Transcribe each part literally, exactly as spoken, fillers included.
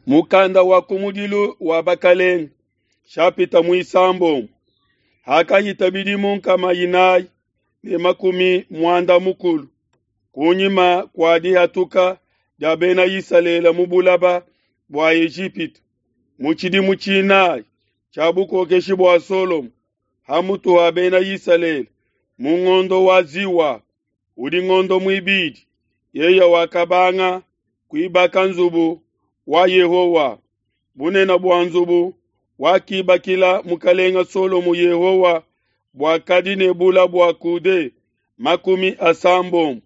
Mukanda wa kumudilu wa bakalenge, shapita muisambombo. Hakahita bidimu nkama inayi ne makumi muanda mukulu kunyima kua dihatuka dia Bena Isalele mu bulaba bua Ejipitu, mu tshidimu tshinayi tshia bukokeshi bua Solomo ha mutu ha Bena Isalele, mu ngondo wa Ziwa, udi ngondo muibidi, yeye wakabanga kuibaka nzubu wa Yehowa. Bunene bua nzubu wakibakila mukalenga Solomo Yehowa buakadi ne bula bua coude makumi asambombo,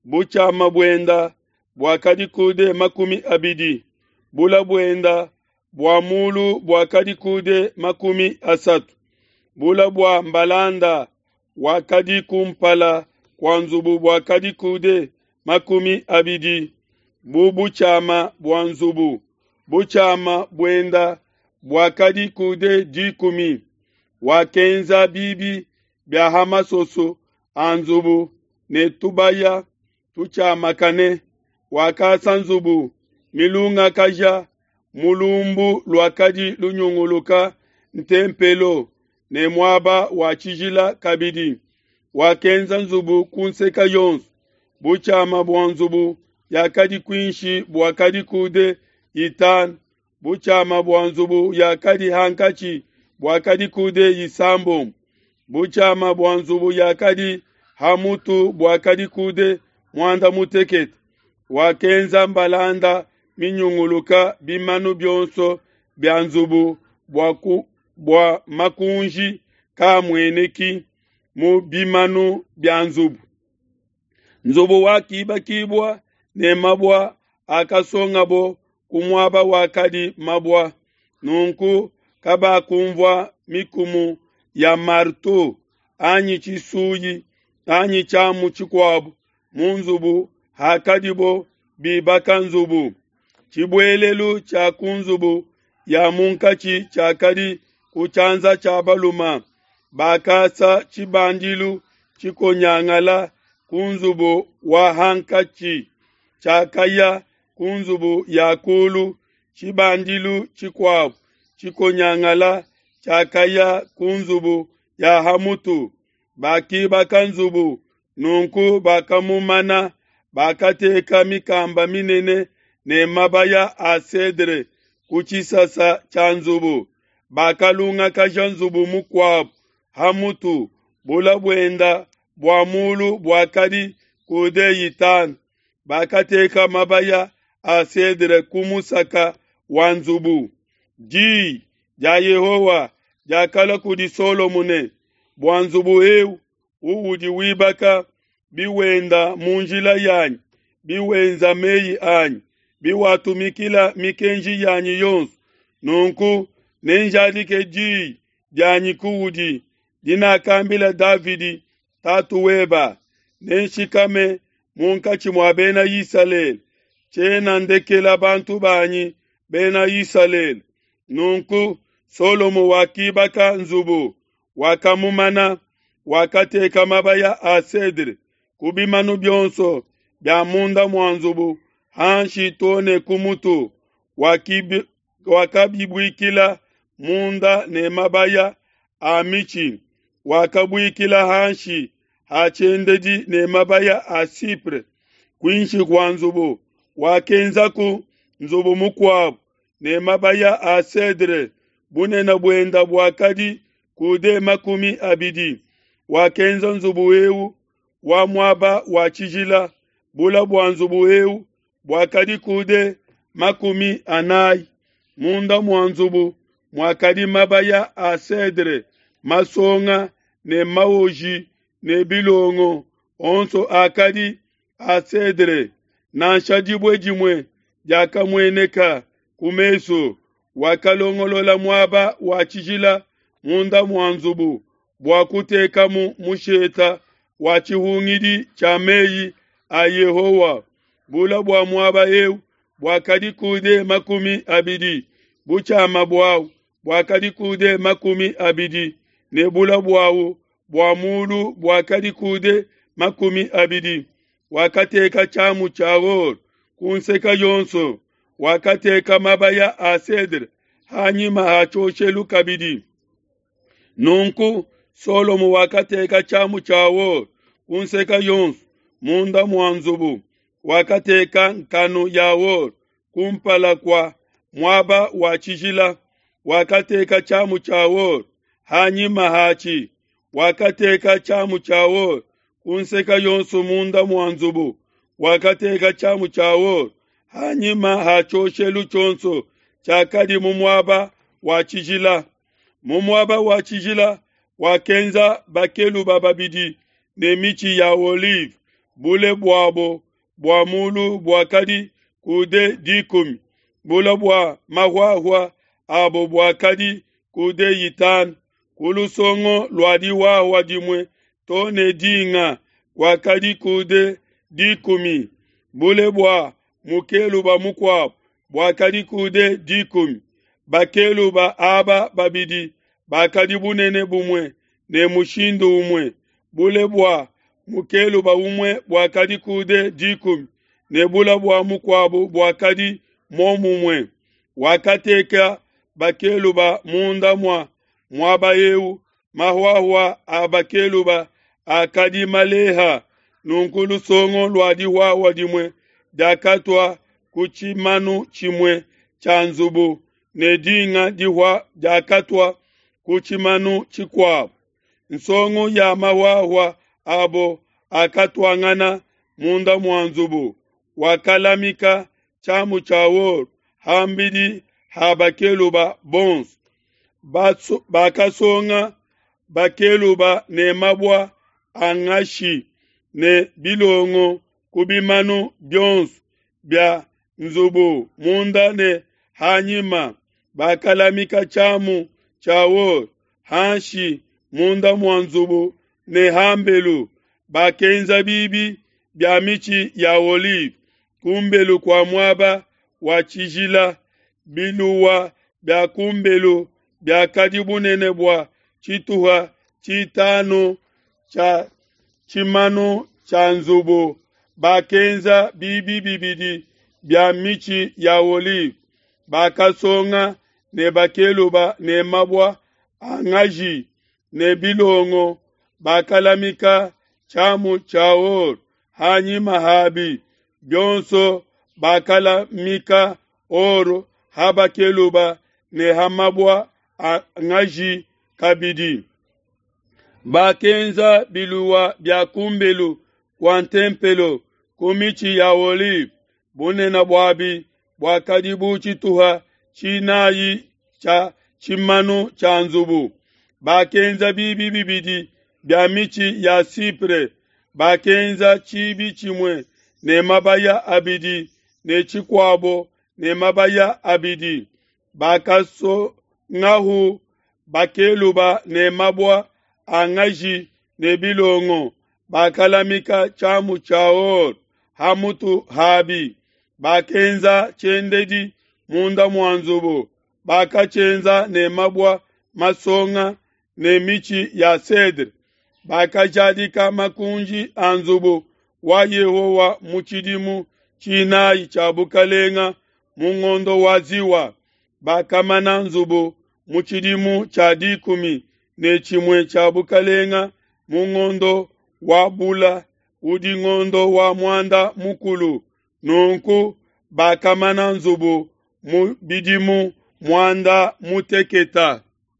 butshiama buenda buakadi coude makumi abidi, bula buenda bua mulu buakadi coude makumi asatu, bula bua mbalanda wakadi kumpala kua nzubu buakadi coude makumi abidi, bu butshiama bua nzubu, butshiama buenda buakadi coude dikumi. Wakenza bibi bia ha masoso a nzubu ne tubaya tutshiamakane. Wakasa nzubu milungakaja mu lumbu luakadi lunyunguluka ntempelo ne muaba wa tshijila kabidi. Wakenza nzubu ku nseke yonso. Butshiama bua nzubu yakadi kuinshi buakadi coude itanu, butshiama bua nzubu yakadi hankatshi buakadi coude isambombo, butshiama bua nzubu yakadi ha mutu buakadi coude muanda mutekete. Wakenza mbalanda minyunguluka bimanu bionso bia nzubu bua, ku, bua makunji kamueneki mu bimanu bia nzubu. Nzubu wakibakibua ne mabua akasongabo ku muaba wakadi mabua. Nunku kabakunvua mikumu ya marteau anyi tshisuyi anyi tshiamu tshikuabu mu nzubu hakadibo bibaka nzubu. Tshibuelelu tshia ku nzubu ya munkatshi tshiakadi ku tshianza tshia balume. Bakasa tshibandilu tshikonyangala ku nzubu wa hankatshi tshiakaya ku nzubu ya kulu. Tshibandilu tshikuabu tshikonyangala tshiakaya ku nzubu ya hamutu. Bakibaka nzubu nunku bakamumana, bakateka mikamba minene ne mabaya a cedre ku tshisasa tshia nzubu. Bakalungakaja nzubu mukuabu hamutu, bula buenda bua mulu buakadi coude itanu. Bakateka mabaya a cedre ku musaka wa nzubu. Diyi dia Yehowa diakalua kudi Solomo ne, bua nzubu eu uudi wibaka, biwenda mu njila yanyi, biwenza meyi anyi, biwatumikila mikenji yanyi yonso, nunku nenjadike diyi dianyi kuudi dinakambila Davidi tatu weba, nenshikame munkatshi mua Bena Isalele, tshiena ndekela bantu banyi Bena Isalele. Nunku Solomo wakibaka nzubu, wakamumana, wakateka mabaya a cedre ku bimanu bionso bia munda mua nzubu hanshi too ne ku mutu. Wakabibuikila munda ne mabaya a mitshi, wakabuikila hanshi ha tshiendedi ne mabaya a cypre. Kuinshi kua nzubu wakenzaku nzubu mukuabu ne mabaya a cedre, bunene buenda buakadi coude makumi abidi. Wakenza nzubu eu wa muaba wa tshijila, bula bua nzubu eu buakadi coude makumi anayi. Munda mua nzubu muakadi mabaya a cedre masonga ne maoji ne bilongo, onso akadi a cedre. Nansha dibue dimue diakamueneka ku mesu. Wakalongolola muaba wa tshijila munda mua nzubu bua kutekamu musheta wa tshihungidi tshia meyi a Yehowa. Bula bua muaba eu buakadi coude makumi abidi, butshiama buawu buakadi coude makumi abidi, ne bula buawu bua mulu buakadi coude makumi abidi. Wakateka tshiamu tshia or ku nseke yonso. Wakateka mabaya a cedre ha nyima ha tshioshelu kabidi. Nunku Solomo wakateka tshiamu tshia or ku nseke yonso munda mua nzubu. Wakateka nkanu ya or kumpala kua muaba wa tshijila. Wakateka tshiamu tshia or ha nyima hatshi. Wakateka tshiamu tshia or ku nseke yonso munda mua nzubu. Wakateka tshiamu tshia or ha nyima ha tshioshelu tshionso tshiakadi mu muaba wa tshijila. Mu muaba wa tshijila wakenza bakeluba babidi ne mitshi ya olive, bule buabo bua mulu buakadi coude dikumi, bule bua mahuahua abo buakadi coude itanu. Ku lusongo lua dihuahua dimue to ne dinga kuakadi coude dikumi, bule bua mukeluba mukuabo buakadi coude dikumi. Bakeluba aba babidi bakadi bunene bumue ne mushindu umue, bule bua mukeluba umue buakadi coude dikumi ne bule bua mukuabo buakadi muomumue. Wakateka bakeluba munda mua muaba eu, mahuahua a bakeluba akadi maleha. Nunku lusongo lua dihuahua dimue diakatua ku tshimanu tshimue tshia nzubu ne dinga dihua diakatua ku tshimanu tshikuabo. Nsongo ya mahuahua abo akatuangana munda mua nzubu. Wakalamika tshiamu tshia or ham'bidi ha bakeluba bonso. Bakasonga bakeluba ne mabua a ngashi ne bilongo ku bimanu bionso bia nzubu munda ne hanyima. Bakalamika tshiamu tshia or hanshi munda mua nzubu ne hambelu. Bakenza bibi bia mitshi ya olive kumbelu kua muaba wa tshijila. Biluwa bia kumbelu biakadi bunene bua tshituha tshitanu tshia tshimanu tshia nzubu. Bakenza bibi bibidi bia mitshi ya olive. Bakasonga ne bakeluba ne mabua a ngaji ne bilongo. Bakalamika tshiamu tshia or hanyima habi bionso. Bakalamika or ha bakeluba ne ha mabua a ngaji kabidi. Bakenza biluwa bia kumbelu kua ntempelo ku mitshi ya olive. Bunene buabi buakadi bu tshituha tshinayi tshia tshimanu tshia nzubu. Bakenza bibi bibidi bia mitshi ya sipre. Bakenza tshibi tshimue ne mabaya abidi ne tshikuabo ne mabaya abidi. Bakasongahu bakeluba ne mabua a ngaji ne bilongo. Bakalamika tshiamu tshia or ha mutu habi. Bakenza tshiendedi munda mua nzubu. Bakatshienza ne mabua masonga ne mitshi ya cedre. Bakajadika makunji a nzubu wa Yehowa mu tshidimu tshinayi tshia bukalenga mu ngondo wa Ziwa. Bakamana nzubu mu tshidimu tshia dikumi ne tshimue tshia bukalenga mu ngondo wa Bula, udi ngondo wa muanda mukulu. Nunku bakamana nzubu mu bidimu muanda muteketa.